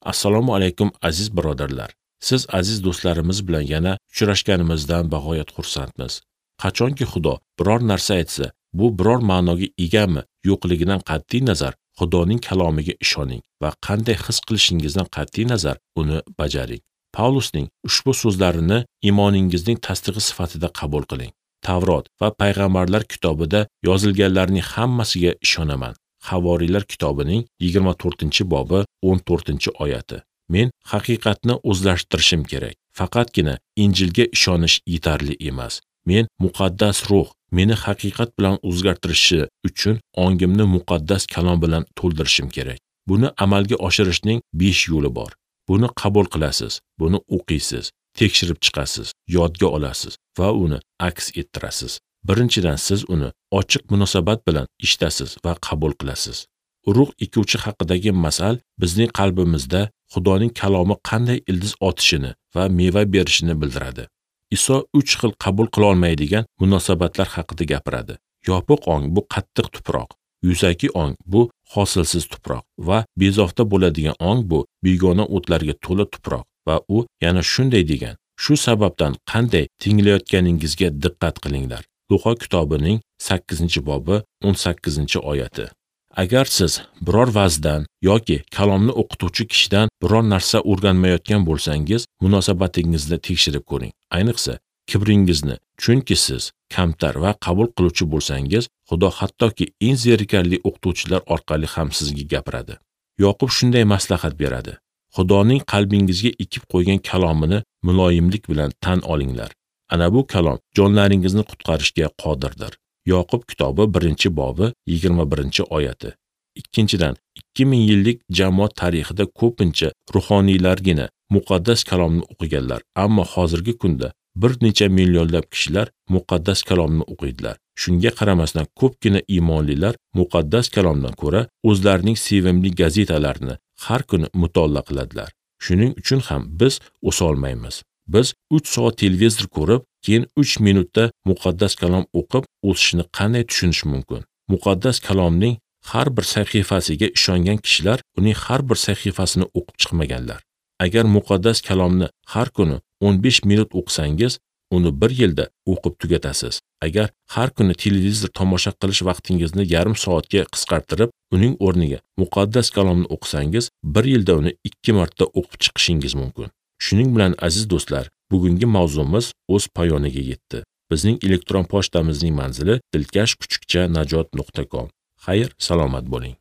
Assalomu alaykum aziz birodarlar. Siz aziz do'stlarimiz bilan yana uchrashganimizdan bag'oyat xursandmiz. Qachonki Xudo biror narsa aytsa, bu biror ma'noga egami yo'qligidan qat'iy nazar Xudoning kalomiga ishoning va qanday his qilishingizdan qat'iy nazar uni bajaring. Pavlusning ushbu so'zlarini iymoningizning tasdig'i sifatida qabul qiling. Tavrot va payg'ambarlar kitobida yozilganlarning hammasiga ishonaman. Havoriylar kitobining 24-bobi 14-oyati. Men haqiqatni o'zlashtirishim kerak. Faqatgina Injilga ishonish yetarli emas. Men muqaddas ruh meni haqiqat bilan o'zgartirishi uchun ongimni muqaddas kalom bilan to'ldirishim kerak. Buni amalga oshirishning 5 yo'li bor. Buni qabul qilasiz, buni o'qiysiz, tekshirib chiqasiz, yodga olasiz va uni aks ettirasiz. Birinchidan, siz uni ochiq munosabat bilan eshitasiz va qabul qilasiz. Urug' ekuvchi haqidagi masal bizning qalbimizda Xudoning kalomi qanday ildiz otishini va meva berishini bildiradi. Iso 3 xil qabul qila olmaydigan munosabatlar haqida gapiradi. Yopiq ong bu qattiq tuproq, yuzaki ong bu hosilsiz tuproq va bezovta bo'ladigan ong bu begona o'tlarga to'la tuproq va u yana shunday degan: shu sababdan qanday tinglayotganingizga diqqat qilinglar. Luqa kitobining 8-bobi 18-oyati. Agar siz biror va'zdan yoki kalomni o'qituvchi kishidan biror narsa o'rganmayotgan bo'lsangiz, munosabatingizni tekshirib ko'ring. Ayniqsa, kibringizni, chunki siz kamtar va qabul qiluvchi bo'lsangiz, Xudo hattoki eng zerikarli o'qituvchilar orqali ham sizga gapiradi. Yoqub shunday maslahat beradi: Xudoning qalbingizga ekib qo'ygan kalomini muloyimlik bilan tan olinglar. Ana bu kalom jonlaringizni qutqarishga qodirdir. Yoqub kitobi 1-bobi 21-oyati. Ikkinchidan, 2000 yillik jamoat tarixida ko'pincha ruhoniylargina muqaddas kalomni o'qiganlar, ammo hozirgi kunda bir necha millionlab kishilar muqaddas kalomni o'qiydilar. Shunga qaramasdan ko'pgina iymonlilar muqaddas kalomdan ko'ra o'zlarining sevimli gazetalarini har kuni mutolaa qiladilar. Shuning uchun ham biz o'sa olmaymiz. Biz 3 soat televizor ko'rib, keyin 3 minutda muqaddas kalom o'qib o'sishni qanday tushunish mumkin? Muqaddas kalomning har bir sahifasiga ishongan kishilar uning har bir sahifasini o'qib chiqmaganlar. Agar muqaddas kalomni har kuni 15 minut o'qisangiz, uni bir yilda o'qib tugatasiz. Agar har kuni televizor tomosha qilish vaqtingizni yarim soatga qisqartirib, uning o'rniga muqaddas kalomni o'qisangiz, bir yilda uni 2 marta o'qib chiqishingiz mumkin. Shuning bilan aziz do'stlar, bugungi mavzumiz o'z poyoniga yetdi. Bizning elektron pochtamizning manzili dilkash@najot.com. Xayr, salomat bo'ling.